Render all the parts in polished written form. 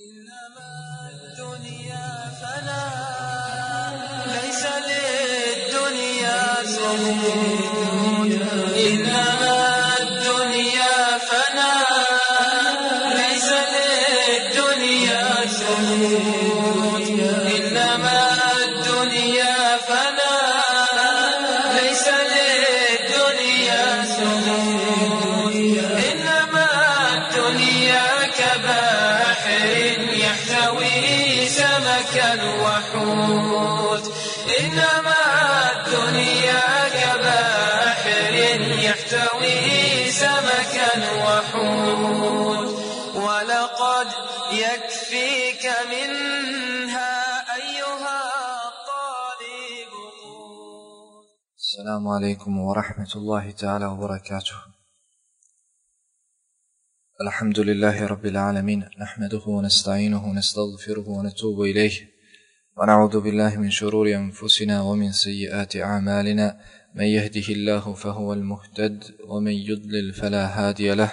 إنما الدنيا فنا ليس للدنيا ثمود إنما الدنيا فنا ليس للدنيا ثمود إنما الدنيا فنا ليس للدنيا ثمود إنما الدنيا كبحر يحتوي سمكا وحوت إنما الدنيا كبحر يحتوي سمكا وحوت ولقد يكفيك منها أيها الطالب. السلام عليكم ورحمة الله تعالى وبركاته. الحمد لله رب العالمين، نحمده ونستعينه ونستغفره ونتوب إليه ونعوذ بالله من شرور أنفسنا ومن سيئات أعمالنا، من يهده الله فهو المهتد ومن يضلل فلا هادي له.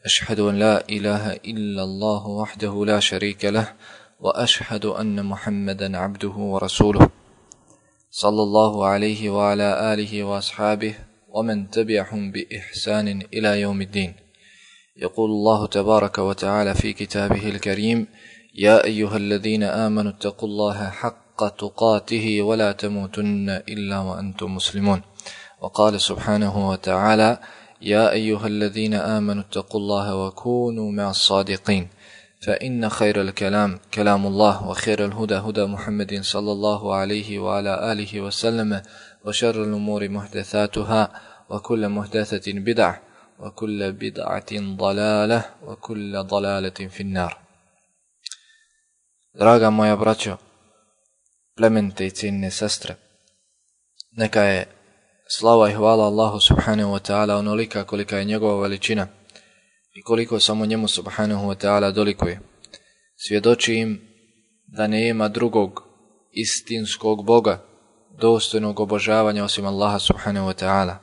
أشهد أن لا إله إلا الله وحده لا شريك له، وأشهد أن محمدا عبده ورسوله صلى الله عليه وعلى آله وأصحابه ومن تبعهم بإحسان إلى يوم الدين. يقول الله تبارك وتعالى في كتابه الكريم: يا أيها الذين آمنوا اتقوا الله حق تقاته ولا تموتن إلا وأنتم مسلمون. وقال سبحانه وتعالى: يا أيها الذين آمنوا اتقوا الله وكونوا مع الصادقين، فإن خير الكلام كلام الله، وخير الهدى هدى محمد صلى الله عليه وعلى آله وسلم، وشر الأمور محدثاتها، وكل محدثة بدعة، وكل بدعة ضلالة، وكل ضلالة في النار. Draga moja braćo, plemenite i cijenine sestre, neka je slava i hvala Allahu subhanahu wa ta'ala onolika kolika je njegova veličina i koliko samo njemu subhanahu wa ta'ala dolikuje. Svjedočim da nema drugog istinskog Boga dostojnog obožavanja osim Allaha subhanahu wa ta'ala.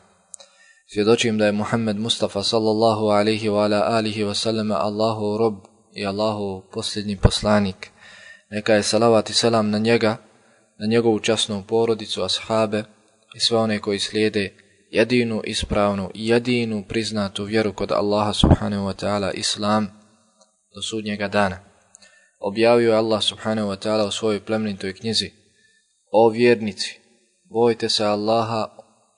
Svjedočim da je Muhammed Mustafa sallallahu alaihi wa ala alihi wa sallam Allahu rob i Allahu posljednji poslanik. Neka je salavat i selam na njega, na njegovu časnu porodicu, ashabe i sve one koji slijede jedinu ispravnu i jedinu priznatu vjeru kod Allaha subhanahu wa ta'ala, Islam, do sudnjega dana. Objavio je Allah subhanahu wa ta'ala u svojoj plemenitoj knjizi: o vjernici, bojte se Allaha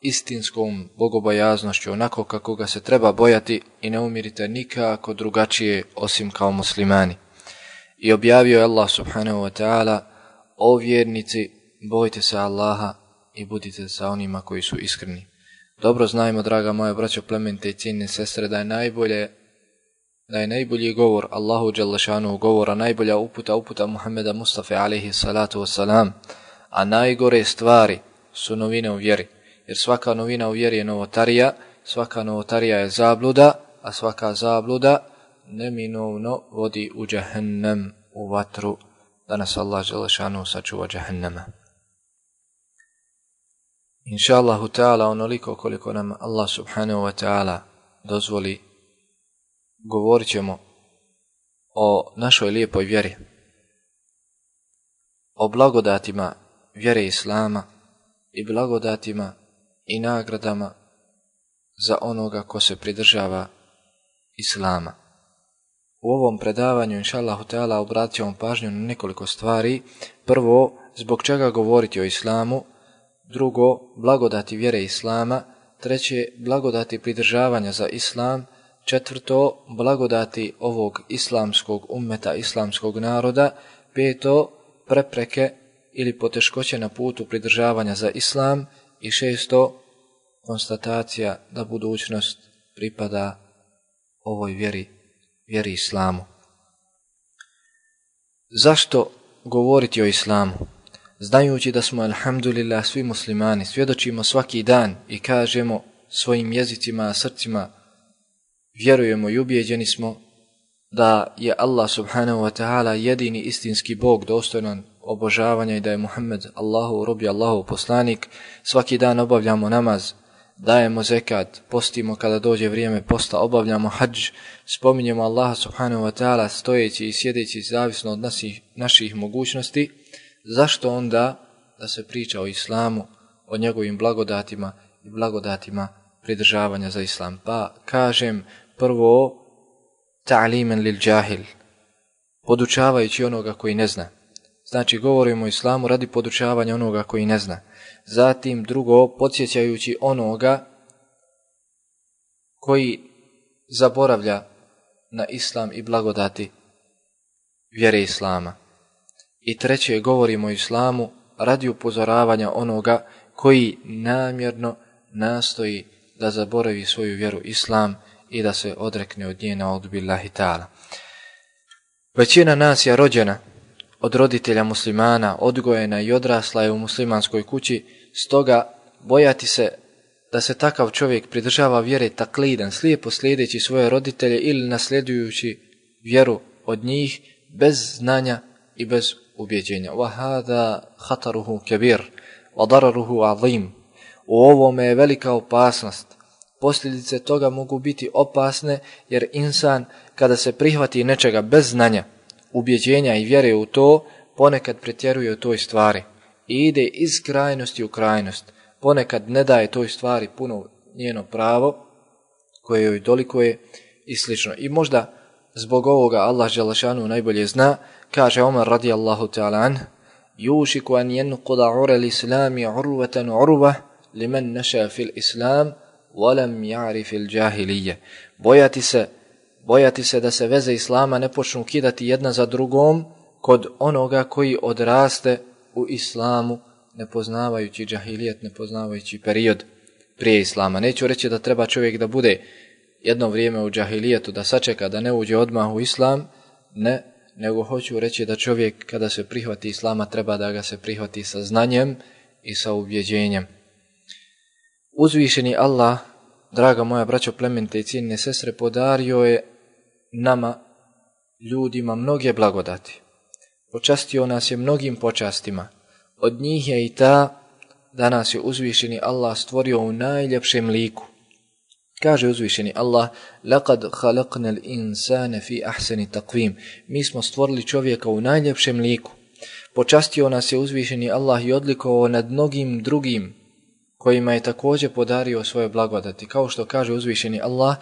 istinskom bogobojaznošću, onako kako ga se treba bojati, i ne umirite nikako drugačije osim kao muslimani. I objavio je Allah subhanahu wa ta'ala: o vjernici, bojte se Allaha i budite sa onima koji su iskreni. Dobro znajmo, draga moja braćo, plemenite i cijenine sestre, da je najbolji govor Allahu dželle šanuhu govora, najbolja uputa Muhammeda Mustafa alejhi salatu vesselam, a najgore stvari su novine u vjeri. Jer svaka novina u vjeri je novotarija, svaka novotarija je zabluda, a svaka zabluda neminovno vodi u džehennem, u vatru, da nas Allah dželle šanuhu sačuva džehennema. Inša Allahu ta'ala, onoliko koliko nam Allah subhanahu wa ta'ala dozvoli, govorit ćemo o našoj lijepoj vjeri, o blagodatima vjere Islama i blagodatima i nagradama za onoga ko se pridržava Islama. U ovom predavanju, inša Allahu ta'ala, obratit ćemo pažnju na nekoliko stvari. Prvo, zbog čega govoriti o Islamu. Drugo, blagodati vjere Islama. Treće, blagodati pridržavanja za Islam. Četvrto, blagodati ovog islamskog ummeta, islamskog naroda. Peto, prepreke ili poteškoće na putu pridržavanja za Islam. I šesto, konstatacija da budućnost pripada ovoj vjeri Islamu. Zašto govoriti o Islamu? Znajući da smo, alhamdulillah, svi muslimani, svjedočimo svaki dan i kažemo svojim jezicima, srcima, vjerujemo i ubijeđeni smo da je Allah subhanahu wa ta'ala jedini istinski Bog dostojan obožavanja i da je Muhammed Allahu rob i Allahu poslanik. Svaki dan obavljamo namaz, dajemo zekat, postimo kada dođe vrijeme posta, obavljamo hadž, spominjemo Allaha subhanahu wa ta'ala stojeći i sjedeći zavisno od naših mogućnosti, zašto onda da se priča o islamu, o njegovim blagodatima i blagodatima pridržavanja za islam? Pa kažem prvo ta'limen lil džahil, podučavajući onoga koji ne zna. Znači govorimo o islamu radi podučavanja onoga koji ne zna. Zatim drugo, podsjećajući onoga koji zaboravlja na islam i blagodati vjere islama. I treće, govorimo o islamu radi upozoravanja onoga koji namjerno nastoji da zaboravi svoju vjeru islam i da se odrekne od nje, na'udhu billahi ta'ala. Većina nas je rođena od roditelja muslimana, odgojena i odrasla je u muslimanskoj kući, stoga bojati se da se takav čovjek pridržava vjere taklidan, slijepo slijedeći svoje roditelje ili nasljedujući vjeru od njih bez znanja i bez ubjeđenja. وَهَذَا خَطَرُهُ كَبِيرٌ وَضَرَرُهُ عَظِيمٌ. U ovome je velika opasnost. Posljedice toga mogu biti opasne jer insan kada se prihvati nečega bez znanja, ubjeđenja i vjere u to, ponekad pretjeruje u toj stvari i ide iz krajnosti u krajnost. Ponekad ne daje toj stvari puno njeno pravo koje joj dolikuje i slično. I možda zbog ovoga Allah dželle šanu najbolje zna, kaže Omer radijallahu ta'ala anh, yušiku an yanquda ura l-islami urvatan urva liman nasha fil islam walam ya'rif al-jahiliyya. Bojati se da se veze islama ne počnu kidati jedna za drugom kod onoga koji odraste u islamu, ne poznavajući džahilijet, ne poznavajući period prije islama. Neću reći da treba čovjek da bude jedno vrijeme u džahilijetu, da sačeka da ne uđe odmah u islam, ne, nego hoću reći da čovjek kada se prihvati islama treba da ga se prihvati sa znanjem i sa ubjeđenjem. Uzvišeni Allah, draga moja braćo, plemenite i cijenine sestre, podario je nama, ljudima, mnoge blagodati. Počastio nas je mnogim počastima. Od njih je i ta da nas je uzvišeni Allah stvorio u najljepšem liku. Kaže uzvišeni Allah, لَقَدْ خَلَقْنَا الْإِنسَانَ فِي أَحْسَنِ تَقْوِيمٍ. Mi smo stvorili čovjeka u najljepšem liku. Počastio nas je uzvišeni Allah i odlikovao nad mnogim drugim kojima je također podario svoje blagodati. Kao što kaže uzvišeni Allah,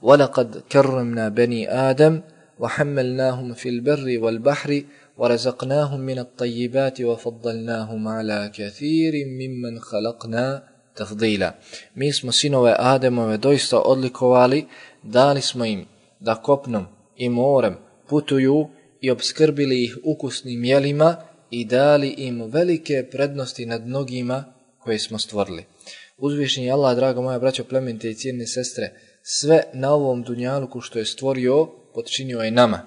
وَلَقَدْ كَرَّمْنَا بَنِي آدَمَ وَحَمَّلْنَاهُمْ فِي الْبَرِّ وَالْبَحْرِ وَرَزَقْنَاهُمْ مِنَ الطَّيِّبَاتِ وَفَضَّلْنَاهُمْ عَلَى كَثِيرٍ مِّمَّنْ خَلَقْنَا تَفْضِيلًا. Mi smo sinove Ademove doista odlikovali, dali smo im da kopnom i morem putuju i obskrbili ih ukusnim jelima i dali im velike prednosti nad mnogima koje smo stvorili. Uzvišeni Allah, draga moja braćo, plemenite i cijenine sestre, sve na ovom dunjaluku što je stvorio, podčinio je nama,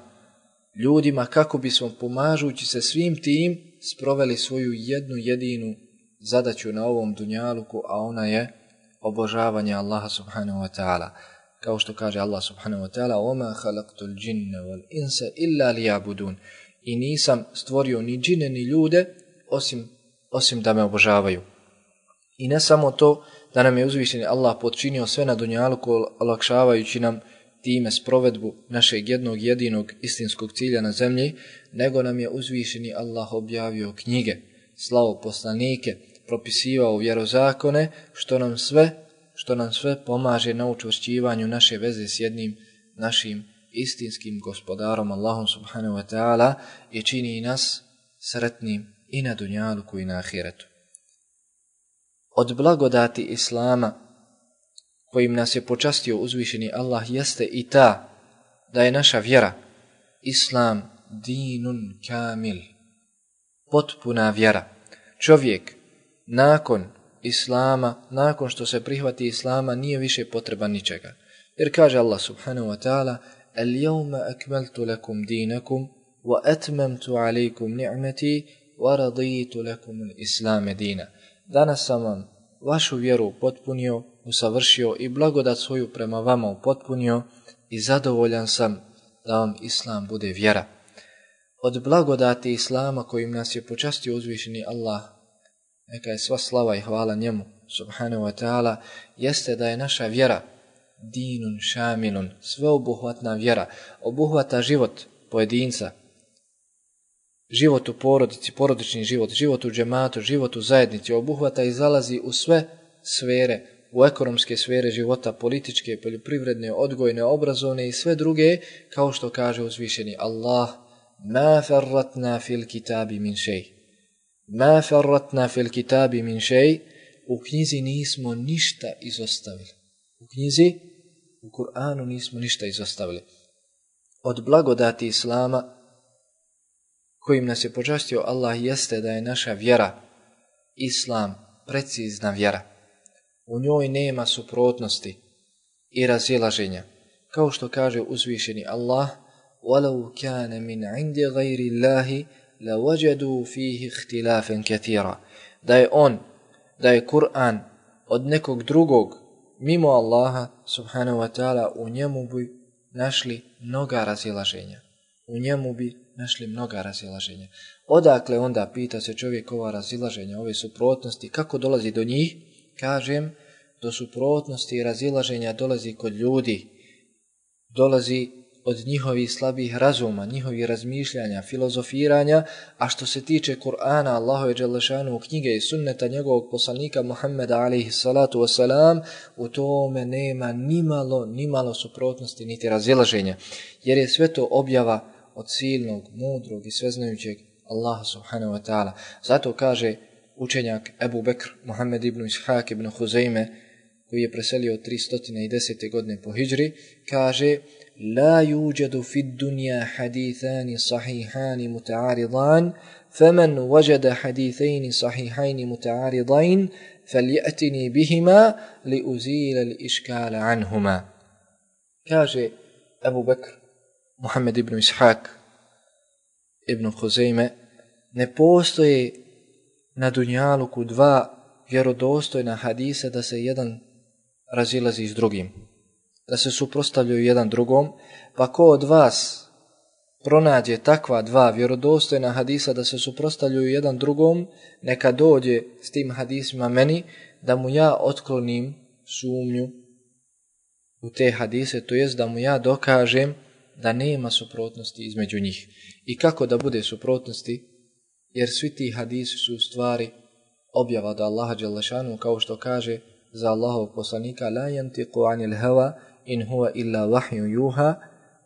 ljudima, kako bismo pomažući se svim tim sproveli svoju jednu jedinu zadaću na ovom dunjaluku, a ona je obožavanje Allaha subhanahu wa ta'ala. Kao što kaže Allah subhanahu wa ta'ala, وَمَا خَلَقْتُ الْجِنَّ وَالْإِنسَ إِلَّا لِيَعْبُدُونَ. I nisam stvorio ni džine ni ljude osim da me obožavaju. I ne samo to, da nam je uzvišeni Allah podčinio sve na dunjaluku, olakšavajući nam time sprovedbu našeg jednog jedinog istinskog cilja na zemlji, nego nam je uzvišeni Allah objavio knjige, slao poslanike, propisivao vjerozakone, što nam sve pomaže na učvršćivanju naše veze s jednim našim istinskim gospodarom Allahom subhanahu wa ta'ala i čini nas sretnim i na dunjaluku i na ahiretu. Od blagodati Islama kojim nas je počastio uzvišeni Allah jeste i ta da je naša vjera, Islam, dinun kamil, potpuna vjera. Čovjek nakon Islama, nakon što se prihvati Islama, nije više potreban ničega. Jer kaže Allah subhanahu wa ta'ala, اليوم أكملت لكم دينكم وأتممت عليكم نعمتي ورضيت لكم الإسلام دينا. Danas sam vam vašu vjeru potpunio, usavršio i blagodat svoju prema vama upotpunio i zadovoljan sam da vam Islam bude vjera. Od blagodati Islama kojim nas je počastio uzvišeni Allah neka je sva slava i hvala njemu, subhanahu wa ta'ala, jeste da je naša vjera dinun šamilun, sveobuhvatna vjera, obuhvata život pojedinca, život u porodici, porodični život, život u džematu, život u zajednici, obuhvata i zalazi u sve sfere, u ekonomske sfere života, političke, poljoprivredne, odgojne, obrazovne i sve druge, kao što kaže uzvišeni Allah, ma farratna fil kitabi min šej. Ma farratna fil kitabi min šej, u knjizi nismo ništa izostavili. U knjizi, u Kur'anu nismo ništa izostavili. Od blagodati Islama, kojim nas je počastio Allah, jeste da je naša vjera, Islam, precizna vjera. U njoj nema suprotnosti i razilaženja. Kao što kaže uzvišeni Allah, وَلَوْ كَانَ مِنْ عِنْدِ غَيْرِ اللَّهِ لَوَجَدُوا فِيهِ اخْتِلَافًا كَثِيرًا. Da je Kur'an od nekog drugog, mimo Allaha, subhanahu wa ta'ala, u njemu bi našli mnoga razilaženja. U njemu bi našli mnoga razilaženja. Odakle onda, pita se čovjek, ova razilaženja, ove suprotnosti, kako dolazi do njih? Kažem, do suprotnosti i razilaženja dolazi kod ljudi, dolazi od njihovih slabih razuma, njihovih razmišljanja, filozofiranja, a što se tiče Kur'ana, Allahove dželešanu knjige i sunneta njegovog poslanika Muhammeda alejhi salatu wasalam, u tome nema nimalo suprotnosti niti razilaženja, jer je sve to objava od silnog, mudrog i sveznajućeg Allaha subhanahu wa ta'ala. Zato kaže učenjak Ebu Bekr, Muhammed ibn Ishaq ibn Huzeyme, koji je preselio 310. godine po hidžri, kaže: La yuđadu fid dunja hadithani sahihani muta'aridan, faman wajada hadithani sahihani muta'aridain, faljatini bihima li uzila li iškala anhuma. Kaže Ebu Bekr, Muhammed ibn Ishaq ibn Huzeyme, ne postoje na dunjaluku dva vjerodostojna hadisa da se jedan razilazi s drugim, da se suprotstavljaju jedan drugom, pa ko od vas pronađe takva dva vjerodostojna hadisa da se suprotstavljaju jedan drugom, neka dođe s tim hadisima meni, da mu ja otklonim sumnju u te hadise, to jest da mu ja dokažem da nema suprotnosti između njih. I kako da bude suprotnosti? Jer svi ti hadisi su u stvari objava od Allaha dželešanu, kao što kaže za Allahovog poslanika: la yantiqu anil hawa in huwa illa wahyu yuha.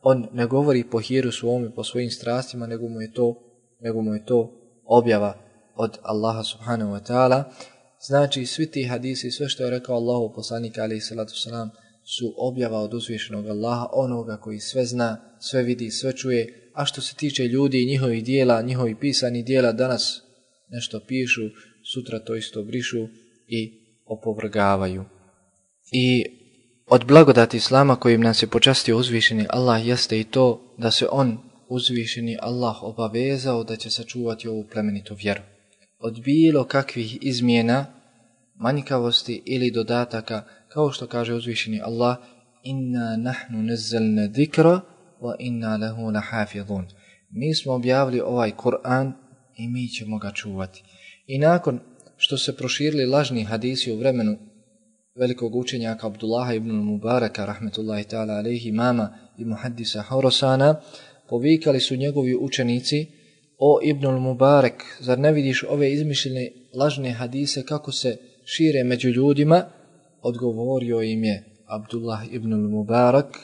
On ne govori po hiru svome, po svojim strastima, nego mu je to objava od Allaha subhanahu wa ta'ala. Znači, svi ti hadisi, sve što je rekao Allahov poslanik alejhi salatu vesselam, su objava od uzvišenog Allaha, onoga koji sve zna, sve vidi, sve čuje. A što se tiče ljudi i njihovih dijela, njihovih pisanih dijela, danas nešto pišu, sutra to isto brišu i opovrgavaju. I od blagodati Islama kojim nas je počastio uzvišeni Allah jeste i to da se on, uzvišeni Allah, obavezao da će sačuvati ovu plemenitu vjeru od bilo kakvih izmjena, manjkavosti ili dodataka, kao što kaže uzvišeni Allah: inna nahnu nazzalna dhikra wa inna lahu lahafizun. Mi smo objavili ovaj Kur'an i mi ćemo ga čuvati. I nakon što se proširili lažni hadisi u vremenu velikog učenjaka Abdullaha ibn Mubaraka, rahmetullahi ta'ala alejhi, imama i muhaddisa Horosana, povikali su njegovi učenici: o Ibn Mubarak, zar ne vidiš ove izmišljene lažne hadise kako se šire među ljudima? Odgovorio im je Abdullah ibn Mubarak: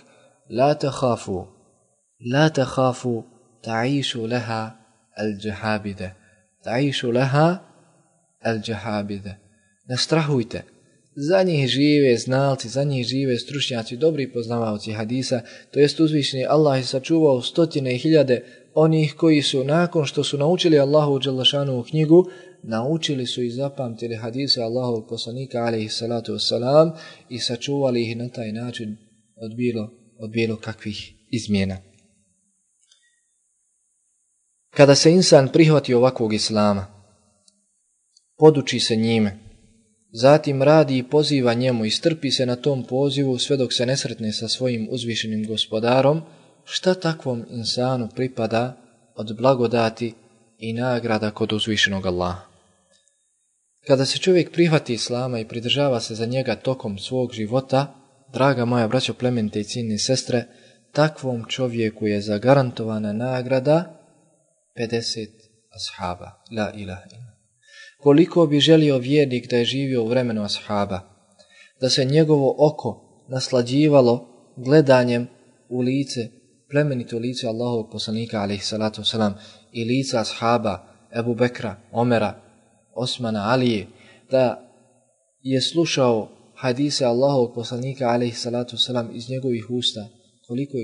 la takhafu ta'ishu laha al-jahabide. Ta'ishu laha al-jahabide. Ne strahujte, za njih žive znalci, za njih žive stručnjaci, dobri poznavaoci hadisa, to jest uzvišeni Allah je sačuvao stotine i hiljade onih koji su, nakon što su naučili Allahu dželešanu knjigu, naučili su i zapamtili hadise Allahovog poslanika alejhi salatu vesselam i sačuvali ih na taj način od bilo kakvih izmjena. Kada se insan prihvati ovakvog islama, poduči se njime, zatim radi i poziva njemu i strpi se na tom pozivu sve dok se ne sretne sa svojim uzvišenim gospodarom, šta takvom insanu pripada od blagodati i nagrada kod uzvišenog Allaha? Kada se čovjek prihvati Islama i pridržava se za njega tokom svog života, draga moja braćo, plemenite i cijenjene sestre, takvom čovjeku je zagarantovana nagrada 50 ashaba. La ilaha illa. Koliko bi želio vjernik da je živio u vremenu ashaba, da se njegovo oko naslađivalo gledanjem u lice, plemenito lice Allahovog poslanika alejhi salatu vesselam i lica ashaba Ebu Bekra, Omera, Osmana, Alije, da je slušao hadise Allahovog poslanika alejhi salatu vesselam iz njegovih usta,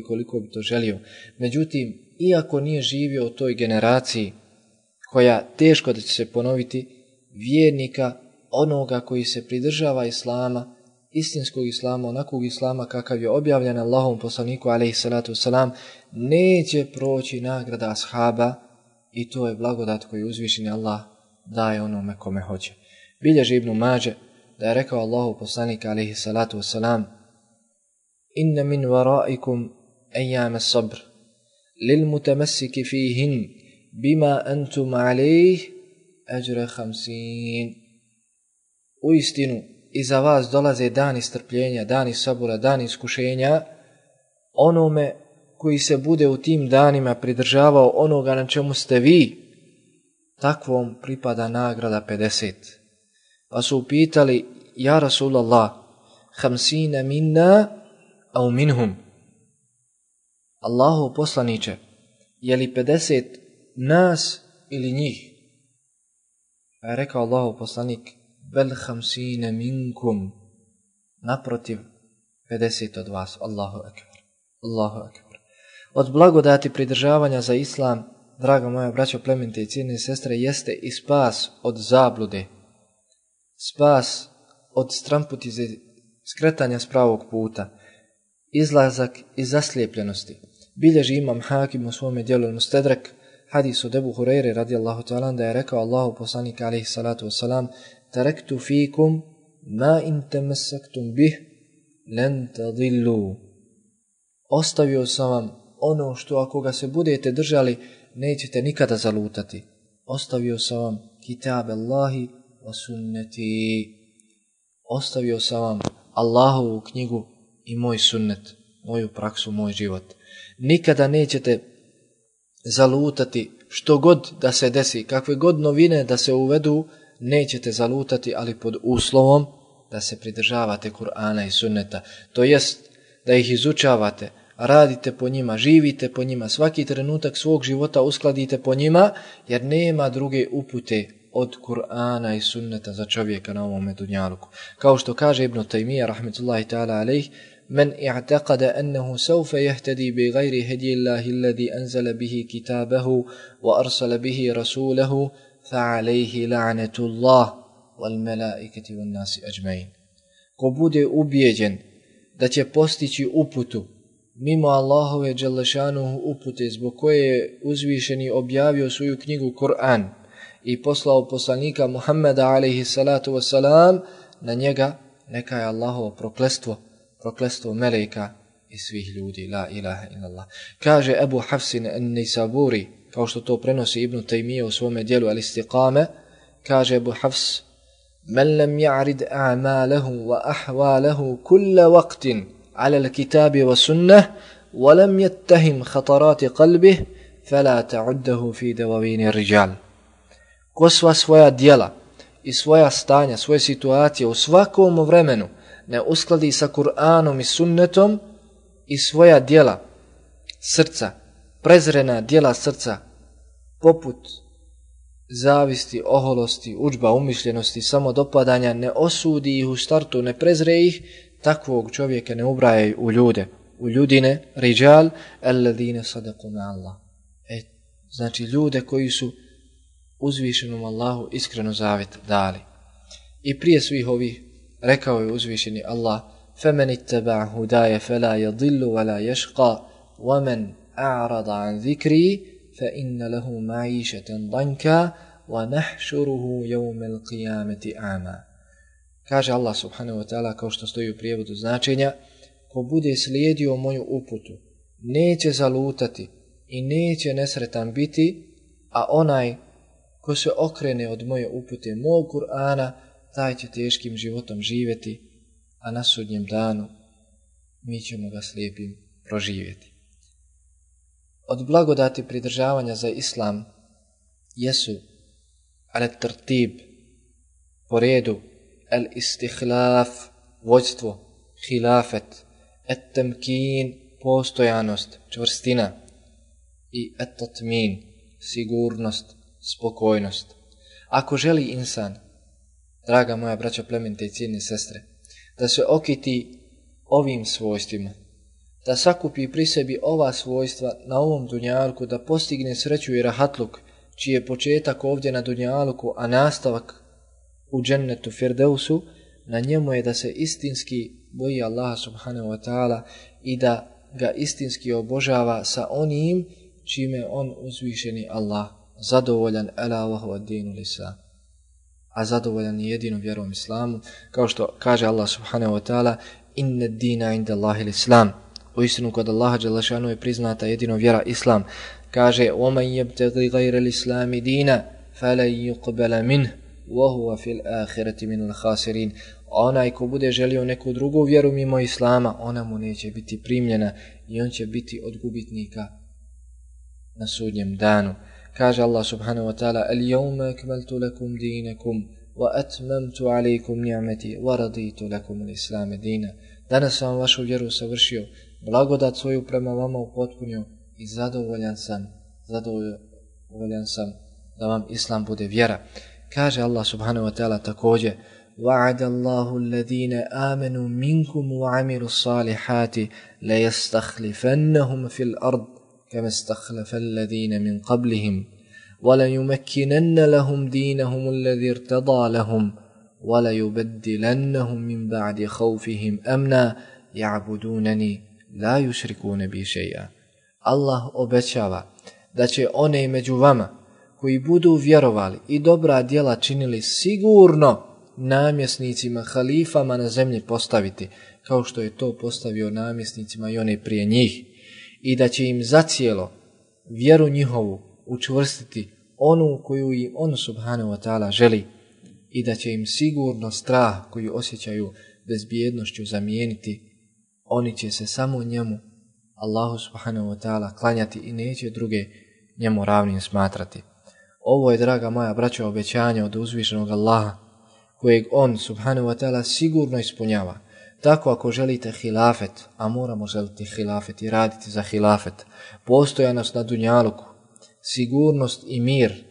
koliko bi to želio. Međutim, iako nije živio u toj generaciji koja teško da će se ponoviti, vjernika, onoga koji se pridržava Islama, istinskog Islama, onakvog Islama kakav je objavljen Allahovom poslaniku alejhi salatu vesselam, neće proći nagrada ashaba, i to je blagodat koju uzvišeni Allah daje onome kome hoće. Bilježi Ibn Mađe da je rekao Allahov poslanik alejhi salatu vesselam: inna min waraikum ayyam as-sabr lil mutamassiki fihin bima antum alayh ajra 50. Uistinu, iza vas dolaze dani strpljenja, dani sabura, dani iskušenja, onome koji se bude u tim danima pridržavao onoga na čemu ste vi, takvom pripada nagrada 50. Pa su upitali: ja Rasulallah, 50 minna au minhum? Allahu poslaniče, je li 50 nas ili njih? Pa je rekao Allahu poslanik: bel 50 minkum, naprotiv 50 od vas. Allahu ekber, Allahu ekber. Od blagodati pridržavanja za Islam, draga moja braćo, plemenite i cijenjene sestre, jeste i spas od zablude, spas od stramputize, skretanja s pravog puta, izlazak iz zaslijepljenosti. Bilježi imam Hakim u svome djelu Al-Mustadrak hadis od Ebu Hurajre radijallahu ta'ala da je rekao Allahu poslanik alejhi salatu vesselam: taraktu fikum ma in tamassaktum bih lan tadillu. Ostavio sam vam ono što ako ga se budete držali nećete nikada zalutati. Ostavio sam vam kitab Allahi wa sunneti. Ostavio sam vam Allahovu knjigu i moj sunnet, moju praksu, moj život. Nikada nećete zalutati, što god da se desi, kakve god novine da se uvedu, nećete zalutati, ali pod uslovom da se pridržavate Kur'ana i sunneta. To jest da ih izučavate, radite po njima, živite po njima, svaki trenutak svog života uskladite po njima, jer nema druge upute od Kur'ana i sunneta za čovjeka na ovom dunjaluku. Kao što kaže Ibn Taymiyyah rahmetullahi ta'ala alejh: men i'taqada annahu sawfa yahtadi bi ghayri hadi Allahi alladhi anzala bihi kitabahu wa arsala bihi rasulahu fa alayhi la'natullah wal malaikati wan nasi ajma'in. Ko bude ubijeđen da će postići uputu mimo Allahove dželle upute zbog koje je uzvišeni objavio svoju knjigu Kur'an i poslao poslanika Muhammeda alejhi salatu vesselam, na njega neka je Allahovo prokletstvo meleka i svih ljudi. La ilaha illallah. Kaže Ebu Hafsin an-Nisaburi, kao što to prenosi Ibn Taymiyyah u svome djelu Al-Istiqame, kaže Ebu Hafs: men lam ya'rid a'malahu wa ahwalahu kulla waqtin ala al-kitabi wa sunnah wa lam yattahim khatarat qalbih fala ta'uddahu fi dawawin ar-rijal. Ko sva svoja djela i svoja stanja, svoje situacije u svakom vremenu ne uskladi sa Kur'anom i sunnetom i svoja djela srca, prezrena djela srca, poput zavisti, oholosti, udžba, umišljenosti, samodopadanja, ne osudi ih u startu, ne prezre ih, takvog čovjeka ne ubraje u ljude, u ljudine, rijal, alladine sadaku ma'allah. Znači ljude koji su uzvišenom Allahu iskreno zavjet dali. I prije svih ovih rekao je uzvišeni Allah: فَمَنِ اتَّبَعَ هُدَايَ فَلَا يَضِلُّ وَلَا يَشْقَى وَمَنْ أَعْرَضَ عَنْ ذِكْرِي فَإِنَّ لَهُ مَعِيشَةً ضَنْكًا وَنَحْشُرُهُ يَوْمَ الْقِيَامَةِ أَعْمَى. Kaže Allah subhanahu wa ta'ala, kao što stoji u prijevodu značenja: ko bude slijedio moju uputu neće zalutati i neće nesretan biti, a onaj ko se okrene od moje upute, mog Kur'ana, taj će teškim životom živjeti, a na sudnjem danu mi ćemo ga slijepim proživjeti. Od blagodati pridržavanja za islam jesu al-tartib, po redu, al-istihlaf, vođstvo, hilafet, at-tamkin, postojanost, čvrstina i at-tatmin, sigurnost, spokojnost. Ako želi insan, draga moja braćo, plemenite i cijenjene sestre, da se okiti ovim svojstvima, da sakupi pri sebi ova svojstva na ovom dunjalku, da postigne sreću i rahatluk, čiji je početak ovdje na dunjalku, a nastavak u džennetu Firdevsu, na njemu je da se istinski boji Allaha subhanahu wa ta'ala i da ga istinski obožava sa onim čime on uzvišeni Allah zadovoljan, ela wa huwa ad-dinul islam, a zadovoljan je jedino vjerom islamu, kao što kaže Allah subhanahu wa ta'ala, inna ad-dina inda Allahil islam, u istinu kod Allaha dželle šanu je priznata jedino vjera islam. Kaže وَمَنْ يَبْتَغِي غَيْرَ الْإِسْلَامِ دِينًا فَلَنْ يُقْبَلَ مِنْهُ وَهُوَ فِي الْآخِرَةِ مِنَ الْخَاسِرِينَ. Onaj ko bude želio neku drugu vjeru mimo islama, ona mu neće biti primljena i on će biti od gubitnika na sudnjem danu. Kaže Allah subhanahu wa ta'ala, الْيَوْمَ أَكْمَلْتُ لَكُمْ دِينَكُمْ وَأَتْمَمْتُ عَلَيْكُمْ نِعْمَتِي وَرَضِيتُ لَكُمُ الْإِسْلَامَ دِينًا. Danas sam vašu vjeru savršio, blagodat svoju prema vama upotpunio i zadovoljan sam da vam islam bude vjera. Kaže Allah subhanahu wa ta'ala također, وَعَدَ اللَّهُ الَّذِينَ آمَنُوا مِنْكُمْ وَعَمِلُوا الصَّالِحَاتِ لَيَسْتَخْلِفَنَّهُمْ فِي الْأَرْضِ كَمَا اسْتَخْلَفَ الَّذِينَ مِنْ قَبْلِهِمْ وَلَيُمَكِّنَنَّ لَهُمْ دِينَهُمُ الَّذِي ارْتَضَى لَهُمْ وَلَيُبَدِّلَنَّهُمْ مِنْ بَعْدِ خَوْفِهِمْ أَمْنًا يَعْبُدُونَنِي لَا يُشْرِكُونَ بِي شَيْئًا. Allah obećava da će one među vama koji budu vjerovali i dobra djela činili sigurno namjesnicima, halifama na zemlji postaviti, kao što je to postavio namjesnicima i one prije njih, i da će im zacijelo vjeru njihovu učvrstiti onu koju i on subhanahu wa ta'ala želi, i da će im sigurno strah koji osjećaju bezbjednošću zamijeniti. Oni će se samo njemu, Allahu subhanahu wa ta'ala, klanjati i neće druge njemu ravnim smatrati. Ovo je, draga moja braćo, obećanje od uzvišenog Allaha, kojeg on subhanahu wa ta'ala sigurno ispunjava. Tako ako želite hilafet, a moramo želiti hilafet i raditi za hilafet, postojanost na dunjaluku, sigurnost i mir,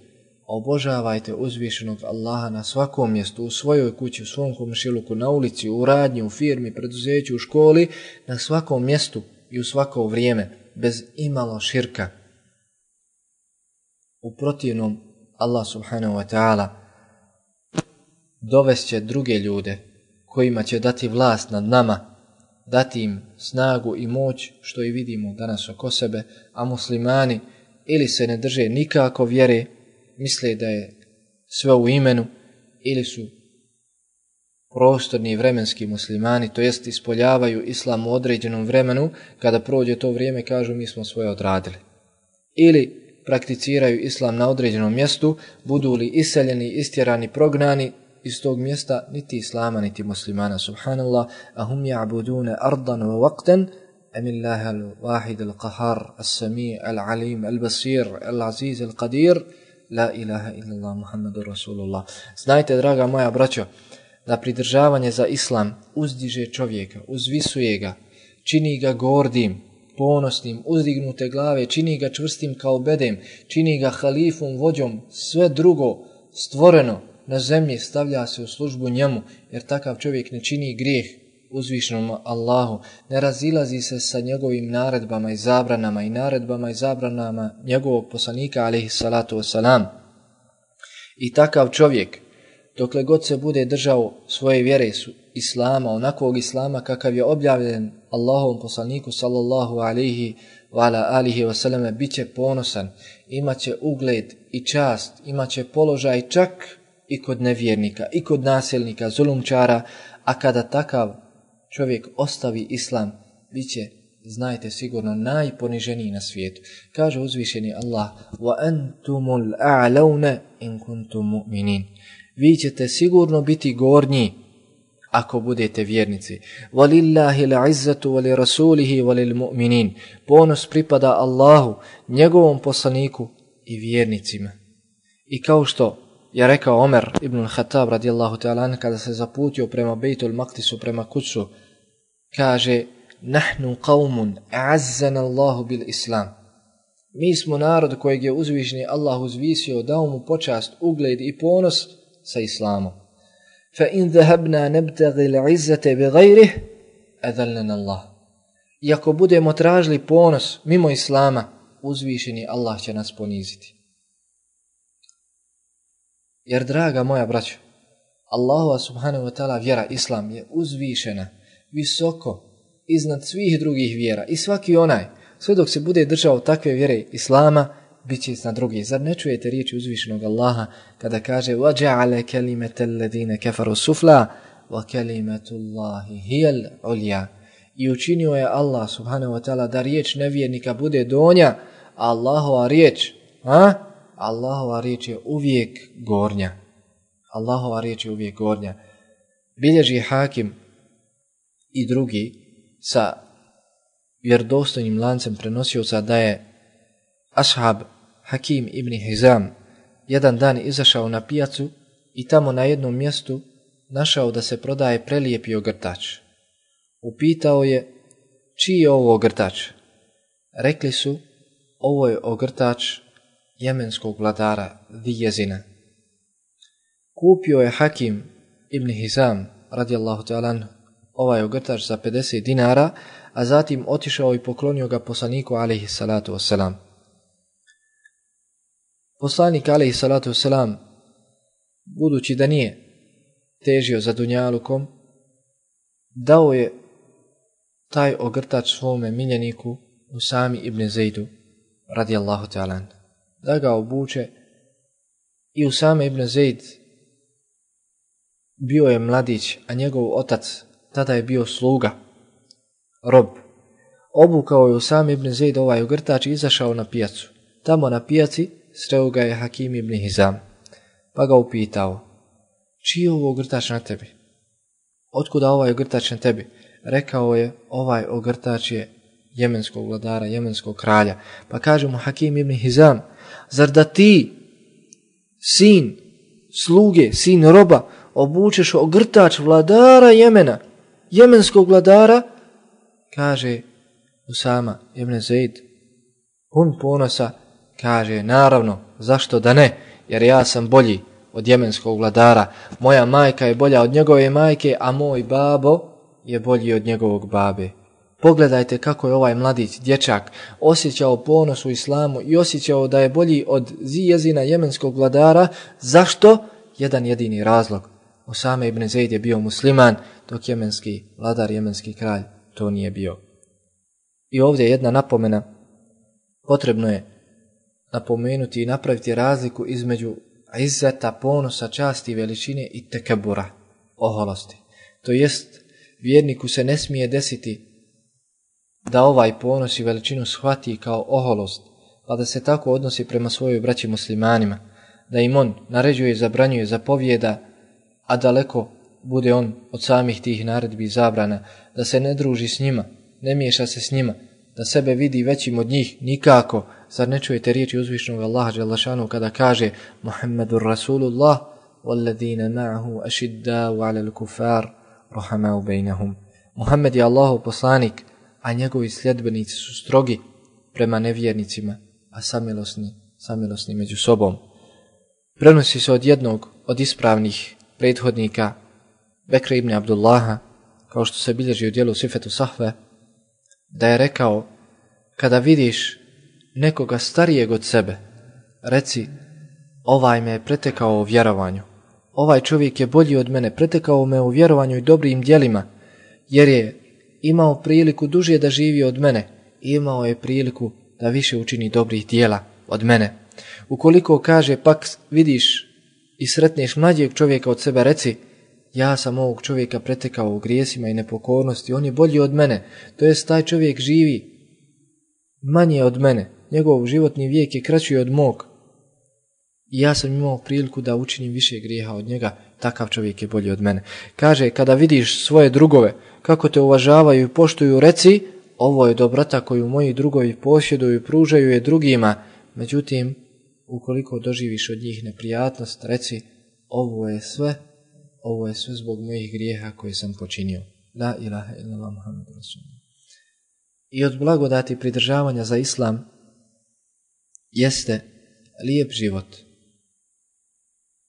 obožavajte uzvišenog Allaha na svakom mjestu, u svojoj kući, u svom komšiluku, na ulici, u radnji, u firmi, preduzeću, u školi, na svakom mjestu i u svako vrijeme, bez imalo širka. U protivnom, Allah subhanahu wa ta'ala dovest će druge ljude kojima će dati vlast nad nama, dati im snagu i moć, što i vidimo danas oko sebe, a muslimani ili se ne drže nikako vjere, misle da je sve u imenu, ili su prostorni i vremenski muslimani, to jest ispoljavaju islam u određenom vremenu, kada prođe to vrijeme kažu mi smo svoje odradili. Ili prakticiraju islam na određenom mjestu, budu li iseljeni, istjerani, prognani iz tog mjesta, niti islama, niti muslimana, subhanallah, ahum ja'budune ardan wa waqtan, amillaha al-wahid al-qahar, al-sami, al-alim, al-basir, al-aziz, al-qadir, la ilaha illallah, Muhammadur Rasulullah. Znajte, draga moja braćo, da pridržavanje za islam uzdiže čovjeka, uzvisuje ga, čini ga gordim, ponosnim, uzdignute glave, čini ga čvrstim kao bedem, čini ga halifom, vođom, sve drugo stvoreno na zemlji stavlja se u službu njemu, jer takav čovjek ne čini grijeh uzvišenom Allahu, ne razilazi se sa njegovim naredbama i zabranama i naredbama i zabranama njegovog poslanika alejhi salatu vesselam. I takav čovjek, dokle god se bude držao svoje vjere islama, onakvog islama kakav je objavljen Allahovom poslaniku sallallahu alejhi wa ala alihi wa sallam, bit će ponosan, imaće ugled i čast, imaće položaj čak i kod nevjernika, i kod nasilnika, zulumčara, a kada takav čovjek ostavi islam, bit će znajte sigurno najponiženiji na svijetu. Kaže uzvišeni Allah: wa antumul a'launa in kuntum mu'minin. Vi ćete sigurno biti gornji ako budete vjernici. Walillahi al'izzatu wa li rasulihi wa lil mu'minin. Ponos pripada Allahu, njegovom poslaniku i vjernicima. I kao što je rekao Omer ibn al-Khattab radijallahu ta'ala kada se zaputio prema Bejtul Maqdisu, prema Kudsu, kaže: nahnu qaumun a'azzana Allahu bil Islam. Mi smo narod kojeg je uzvišeni Allah uzvisio, dao mu počast, ugled i ponos sa Islamom. Fa in dhahabna nabtaghi al-'izzata bighayrihi adallana Allah. I ako budemo tražili ponos mimo Islama, uzvišeni Allah će nas poniziti. Jer, draga moja braćo, Allahova subhanahu wa ta'ala vjera Islam je uzvišena, visoko, iznad svih drugih vjera. I svaki onaj, sve dok se bude držao takve vjere Islama, bit će iznad drugih. Zar ne čujete riječi uzvišenog Allaha kada kaže: وَجَعَلَ كَلِمَةَ الَّذِينَ كَفَرُوا سُفْلَا وَكَلِمَةُ اللَّهِ هِيَ الْعُلْيَا. I učinio je Allah subhanahu wa ta'ala da riječ nevjernika bude donja, a Allahova riječ, Allahova riječ je uvijek gornja. Allahova riječ je uvijek gornja. Bilježi Hakim i drugi sa vjerodostojnim lancem prenosioca da je ashab Hakim ibn Hizam jedan dan izašao na pijacu i tamo na jednom mjestu našao da se prodaje prelijepi ogrtač. Upitao je: čiji je ovo ogrtač? Rekli su: ovo je ogrtač jemenskog vladara Dijezina. Kupio je Hakim ibn Hizam radijallahu ta'ala ovaj ogrtač za 50 dinara, a zatim otišao i poklonio ga poslaniku alejhi salatu vesselam. Poslanik alejhi salatu vesselam, budući da nije težio za dunjalukom, dao je taj ogrtač svome miljeniku Usami ibn Zejdu radijallahu ta'ala da ga obuče. I Usama ibn Zejd bio je mladić, a njegov otac tada je bio sluga, rob. Obukao je Usama ibn Zejd ovaj ogrtač i izašao na pijacu. Tamo na pijaci sreo ga je Hakim ibn Hizam, pa ga upitao: čiji je ovo ogrtač na tebi? Otkuda ovaj ogrtač na tebi? Rekao je: ovaj ogrtač je jemenskog vladara, jemenskog kralja. Pa kaže mu Hakim ibn Hizam: zar da ti, sin sluge, sin roba, obučeš ogrtač vladara Jemena, jemenskog vladara? Kaže Usama ibn Zejd, pun ponosa, kaže: naravno, zašto da ne, jer ja sam bolji od jemenskog vladara. Moja majka je bolja od njegove majke, a moj babo je bolji od njegovog babe. Pogledajte kako je ovaj mladić, dječak, osjećao ponos u islamu i osjećao da je bolji od Zijezina, jemenskog vladara. Zašto? Jedan jedini razlog. Usama ibn Zejd je bio musliman, dok jemenski vladar, jemenski kralj to nije bio. I ovdje jedna napomena. Potrebno je napomenuti i napraviti razliku između izzeta, ponosa, časti, veličine i tekebura, oholosti. To jest, vjerniku se ne smije desiti da ovaj ponos i veličinu shvati kao oholost, pa da se tako odnosi prema svojoj braći muslimanima, da im on naređuje, zabranjuje, zapovjeda, a daleko bude on od samih tih naredbi i zabrana, da se ne druži s njima, ne miješa se s njima, da sebe vidi većim od njih, nikako. Zar ne čujete riječi uzvišnog Allaha dželle šanu kada kaže: Muhammedur Rasulullah walladina ma'ahu ashiddau 'alal kufar rahamau bainahum. Muhammed je Allahov poslanik, a njegovi sljedbenici su strogi prema nevjernicima, a samilosni među sobom. Prenosi se od jednog od ispravnih prethodnika, Bekra ibn Abdullaha, kao što se bilježi u dijelu Sifetu Sahve, da je rekao: kada vidiš nekoga starijeg od sebe, reci: ovaj me je pretekao u vjerovanju, ovaj čovjek je bolji od mene, pretekao me u vjerovanju i dobrim djelima, jer je imao priliku duže da živi od mene i imao je priliku da više učini dobrih djela od mene. Ukoliko, kaže, pak vidiš i sretneš mlađeg čovjeka od sebe, reci: ja sam ovog čovjeka pretekao u grijesima i nepokornosti, on je bolji od mene, to jest taj čovjek živi manje od mene, njegov životni vijek je kraći od mog. I ja sam imao priliku da učinim više grijeha od njega, takav čovjek je bolji od mene. Kaže, kada vidiš svoje drugove, kako te uvažavaju i poštuju, reci, ovo je dobrota koju moji drugovi posjeduju i pružaju je drugima. Međutim, ukoliko doživiš od njih neprijatnost, reci, ovo je sve zbog mojih grijeha koje sam počinio. La ilaha illallah Muhammedur Rasulullah. I od blagodati pridržavanja za islam jeste lijep život.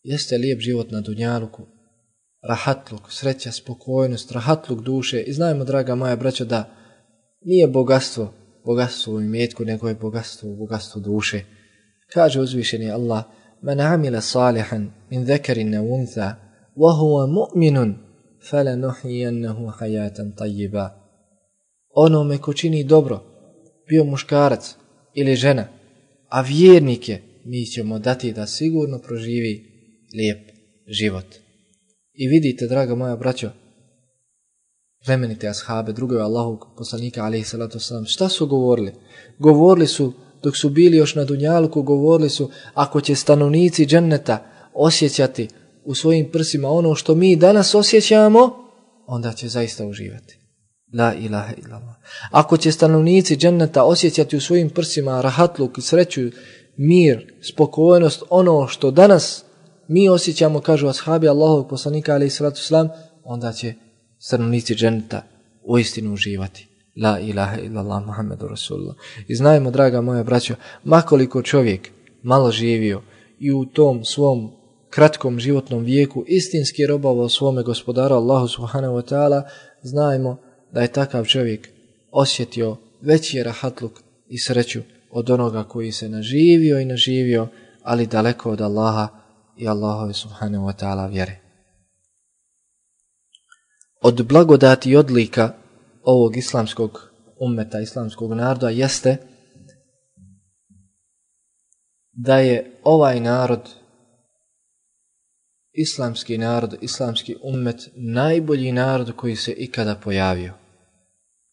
Jeste lijep život na dunjaluku, rahatluk, sreća, spokojnost, rahatluk duše. I znajmo, draga moja braćo, da nije bogatstvo u imetku, nego je bogatstvo duše. Kaže uzvišeni Allah, man amila salihan min zakarin aw untha wa huwa mu'minun falanuhyiyannahu hayatan tayyiba. Onome ko čini dobro, bio muškarac ili žena, a vjernik je, mi ćemo dati da sigurno proživi lijep život. I vidite, draga moja braćo, plemenite ashabe, drugovi Allahovog poslanika alejhi salatu vesselam, šta su govorili? Govorili su, dok su bili još na dunjaluku, govorili su, ako će stanovnici dženneta osjećati u svojim prsima ono što mi danas osjećamo, onda će zaista uživati. La ilaha illallah. Ako će stanovnici dženneta osjećati u svojim prsima rahatluk, sreću, mir, spokojnost, ono što danas mi osjećamo, kažu ashabi Allahovog poslanika alejhi salatu vesselam, onda će stanovnici dženneta uistinu uživati. La ilaha illallah Muhammedur Rasulullah. I znajmo, draga moja braćo, makoliko čovjek malo živio i u tom svom kratkom životnom vijeku istinski robovao svome gospodaru Allahu subhanahu wa ta'ala, znajmo da je takav čovjek osjetio veći rahatluk i sreću od onoga koji se naživio, ali daleko od Allaha i Allahove subhanahu wa ta'ala vjere. Od blagodati i odlika ovog islamskog ummeta, islamskog naroda jeste da je ovaj narod, islamski ummet, najbolji narod koji se ikada pojavio.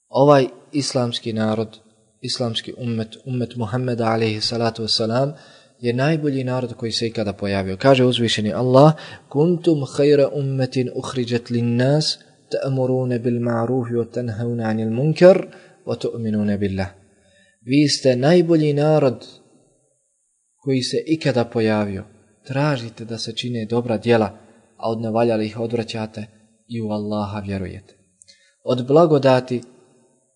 Ovaj islamski narod, islamski ummet Muhammeda alejhi salatu vesselam, je najbolji narod koji se ikada pojavio. Kaže uzvišeni Allah, kuntum khayra ummetin ukhrijat lin-nas ta'muruna bil ma'ruf wa tanhauna 'anil munkar wa tu'minuna billah. Vi ste najbolji narod koji se ikada pojavio. Tražite da se čine dobra djela, a od nevaljalih odvraćate i u Allaha vjerujete. Od blagodati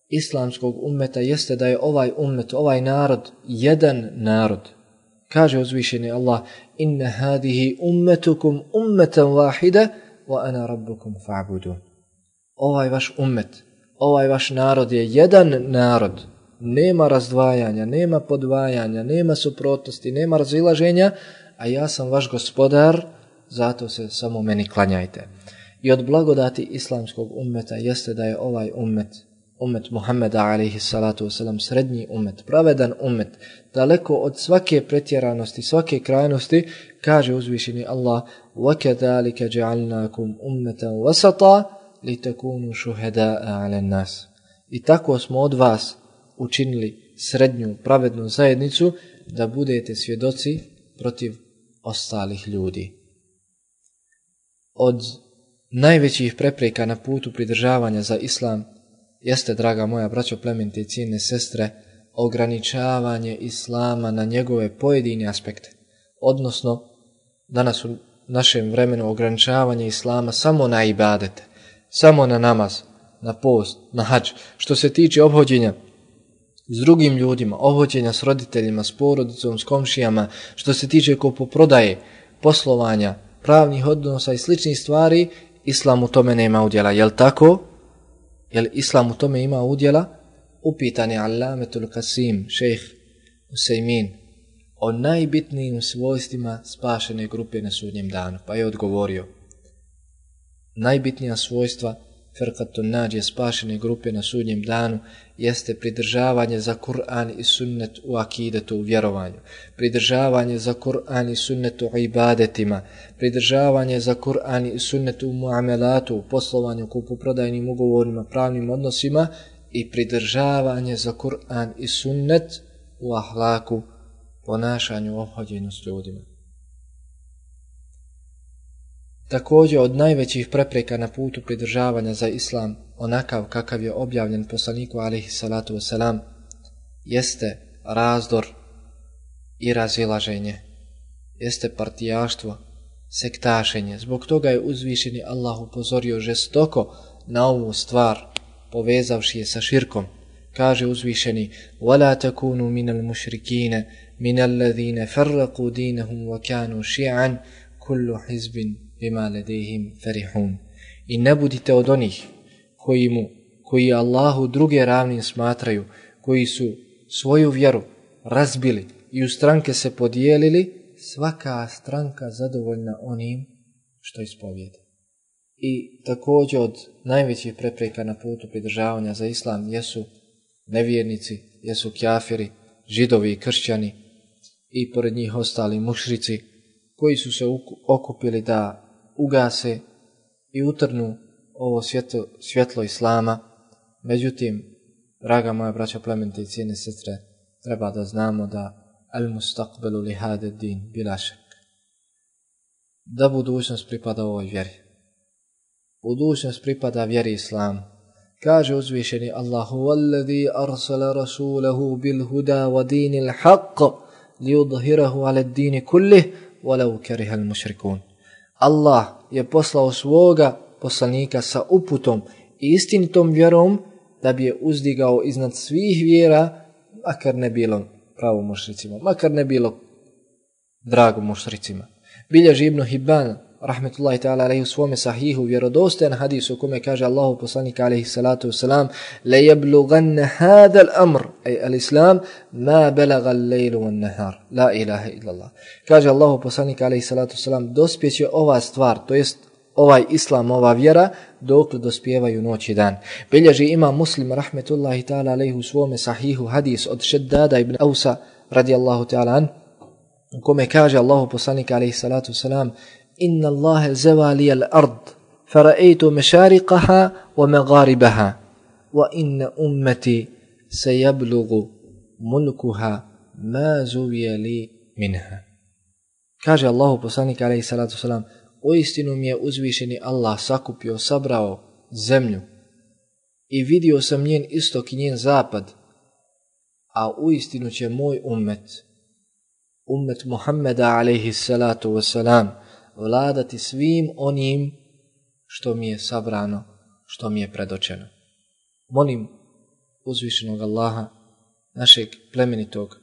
islamskog ummeta jeste da je ovaj ummet, ovaj narod, jedan narod. Kaže uzvišeni Allah, inna hadihi ummetukum ummatan wahida wa ana rabbukum fa'budun. Ovaj vaš ummet, ovaj vaš narod je jedan narod. Nema razdvajanja, nema podvajanja, nema suprotnosti, nema razilaženja, a ja sam vaš gospodar, zato se samo meni klanjajte. I od blagodati islamskog ummeta jeste da je ovaj ummet Muhammeda alejhi salatu vesselam srednji ummet, pravedan ummet, daleko od svake pretjeranosti, svake krajnosti. Kaže uzvišeni Allah, وَكَذَلِكَ جَعَلْنَاكُمْ أُمَّةً وَسَطًا لِتَكُونُوا شُهَدَاءَ عَلَى النَّاسِ. I tako smo od vas učinili srednju pravednu zajednicu da budete svjedoci protiv ostalih ljudi. Od najvećih prepreka na putu pridržavanja za islam jeste, draga moja braćo, plemenite i cijenjene sestre, ograničavanje islama na njegove pojedine aspekte. Odnosno, danas u našem vremenu ograničavanje islama samo na ibadete, samo na namaz, na post, na hadž. Što se tiče obhođenja s drugim ljudima, obhođenja s roditeljima, s porodicom, s komšijama, što se tiče kupoprodaje, poslovanja, pravnih odnosa i sličnih stvari, islam u tome nema udjela. Jel tako? Jel islam u tome ima udjela? Upitan je Allametul Qasim, šejh Usejmin, o najbitnijim svojstvima spašene grupe na sudnjem danu. Pa je odgovorio, najbitnija svojstva firqatun nađije, spašene grupe na sudnjem danu, jeste pridržavanje za Kur'an i sunnet u akidetu, u vjerovanju, pridržavanje za Kur'an i sunnet u ibadetima, pridržavanje za Kur'an i sunnet u muamelatu, u poslovanju, kupoprodajnim ugovorima, pravnim odnosima i pridržavanje za Kur'an i sunnet u ahlaku, ponašanju, ophođenju s ljudima. Također od najvećih prepreka na putu pridržavanja za islam, onakav kakav je objavljen poslaniku alejhi salatu vesselam, jeste razdor i razilaženje, jeste partijaštvo, sektašenje. Zbog toga je uzvišeni Allah upozorio žestoko na ovu stvar, povezavši je sa širkom. Kaže uzvišeni: وَلَا تَكُونُوا مِنَ الْمُشْرِكِينَ مِنَ الَّذِينَ فَرَّقُوا دِينَهُمْ وَكَانُوا شِيَعًا كُلُّ حِزْبٍ بِمَا لَدَيْهِمْ فَرِحُونَ. I ne budite od onih koji Allahu druge ravnim smatraju, koji su svoju vjeru razbili i u stranke se podijelili, svaka stranka zadovoljna onim što ispovijeda. I također od najvećih prepreka na putu pridržavanja za islam jesu nevjernici, jesu kafiri, židovi i kršćani i pored njih ostali mušrici koji su se okupili da ugase i utrnu ovo svjetlo islama. Međutim, draga moja braća, plemenite i cijene sestre, treba da znamo da al-mustaqbalu li hada din bila šak, da budućnost pripada ovoj vjeri. Budućnost pripada vjeri islamu. Kaže uzvišeni Allahu: "Wallazi arsala rasulahu bil huda wa dinil haqq liyudhhirahu ala ad-din kullih walau kariha al-mushrikun." Allah je poslao svoga poslanika sa uputom i istinitom vjerom da bi je uzdigao iznad svih vjera, makar ne bilo pravo mušricima, makar ne bilo drago mušricima. Bilježi Ibn Hibban rahmetullahi ta'ala alejhi u svome sahihu vjerodostojan hadis u kome kaže Allahu poslanik alejhi salatu vesselam: "La yablughanna hada al-amr ay al-islam ma balagha al-layl wan-nahar la ilaha illa Allah." Kaže Allahu poslanik alejhi salatu vesselam: dospjeće ova stvar, to jest ovaj islam, ova vjera, dokle dospijevaju noć i dan. Bilježi Imam Muslim rahmetullahi ta'ala alejhi u svome sahihu hadis od Šeddada ibn Ausa radijallahu ta'ala an, u kome kaže Allahu poslanik alejhi salatu vesselam: "Inna Allaha zawali al-ard fara'aytu mashariqaha wa magharibaha wa inna ummati sayablughu mulkuha ma zuwiya li minha." Kaže Allahu poslanik alejhi salatu vesselam: uistinu mi je uzvišeni Allah sakupio, sabrao zemlju i vidio sam njen istok i njen zapad, a uistinu će moj ummet Muhammeda alejhi salatu vesselam, vladati svim onim što mi je sabrano, što mi je predočeno. Molim uzvišenog Allaha, našeg plemenitog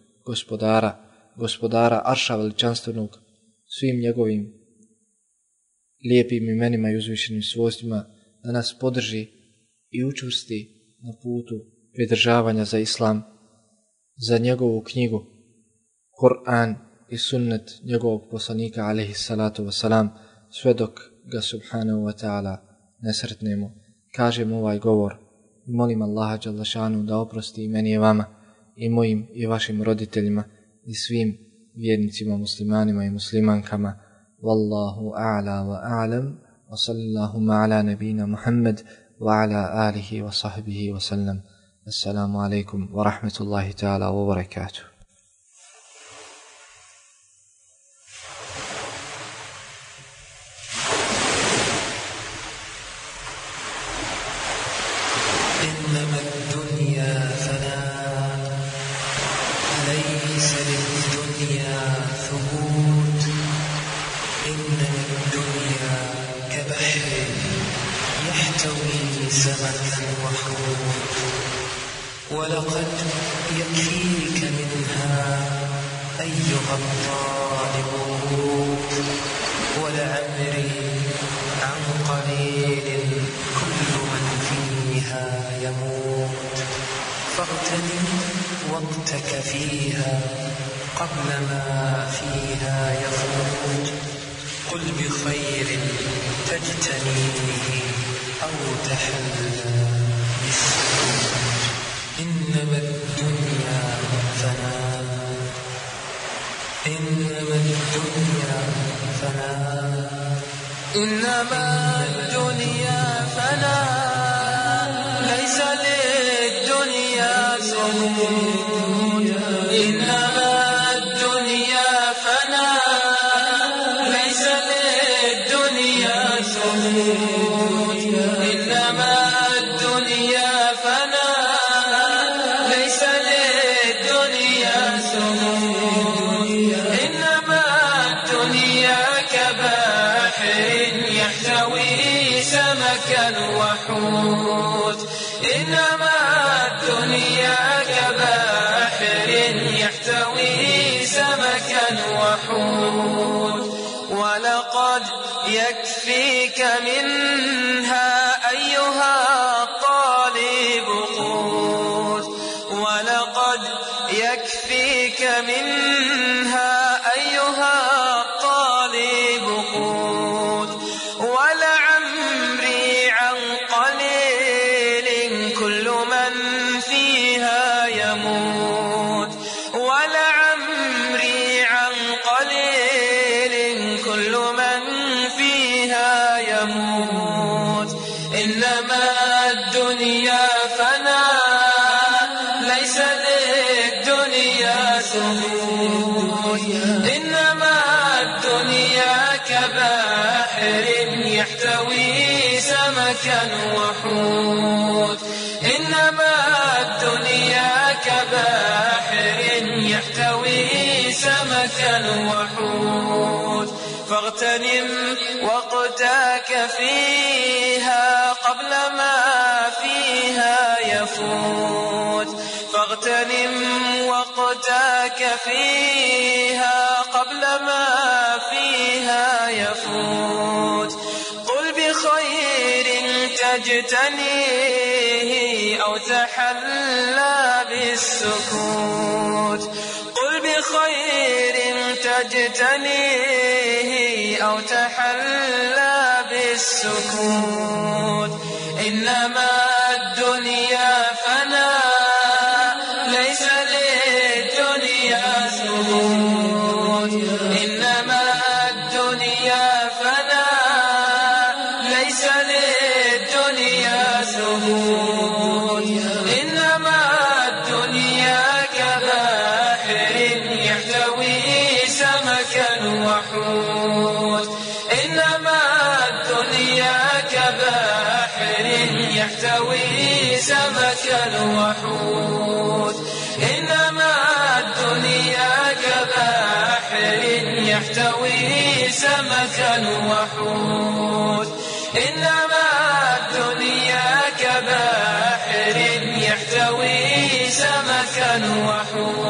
gospodara Arša veličanstvenog, svim njegovim lijepim imenima i uzvišenim svojstvima, da nas podrži i učvrsti na putu pridržavanja za islam, za njegovu knjigu Kur'an i sunnet njegovog poslanika alejhi salatu vesselam, sve dok ga subhanahu wa ta'ala ne sretnemo. Kažem ovaj govor i molim Allaha dželle šanu da oprosti i meni i vama i mojim i vašim roditeljima i svim vjernicima, muslimanima i muslimankama. Wallahu a'la wa a'lam, wa sallallahu ala nabina Muhammad wa ala alihi wa sahbihi wa sallam. Assalamu alaikum wa rahmatullahi ta'ala wa barakatuh. ولقد يكفيك منها أيها الطالب ورود، ولعمري عن قليل كل من فيها يموت، فاغتنم وقتك فيها قبل ما فيها يفوت، قل بخير تجتنيه أو تحلى بالسكوت إنما الدنيا فناء إنما الدنيا فناء إنما الدنيا فناء ليس للدنيا سمود إنما الدنيا فناء ليس للدنيا سمود إنما الدنيا فناء ليس للدنيا سمود إنما الدنيا كبحر يحتوي سمكا وحوت إنما الدنيا كبحر يحتوي سمكا وحوت ولقد يكفيك منها أيها الطالب قوت ولقد يكفيك منها أيها الطالب قوت ولعمري عن قليل كل من فيها يموت ولعمري عن قليل كل من فيها يموت إنما الدنيا فناء ليس للدنيا ثبوت إنما الدنيا كبحر يحتوي سمكا وحوت إنما الدنيا كبحر يحتوي سمكا وحوت فاغتنم وقتك فيها قبل ما فيها يفوت فاغتنم وقتك فيها قبل ما فيها يفوت قل بخير تجتنيه أو تحلى بالسكوت قل بخير تجتنيه أو تحلى بالسكوت إنما الدنيا فناء ليس للدنيا ثبوت إنما الدنيا فناء ليس للدنيا ثبوت إنما الدنيا كبحر يحتوي سمكا وحوت إنما الدنيا كبحر يحتوي سمكا وحوت إنما الدنيا كبحر يحتوي سمكا وحوت إنما الدنيا كبحر يحتوي سمكا وحوت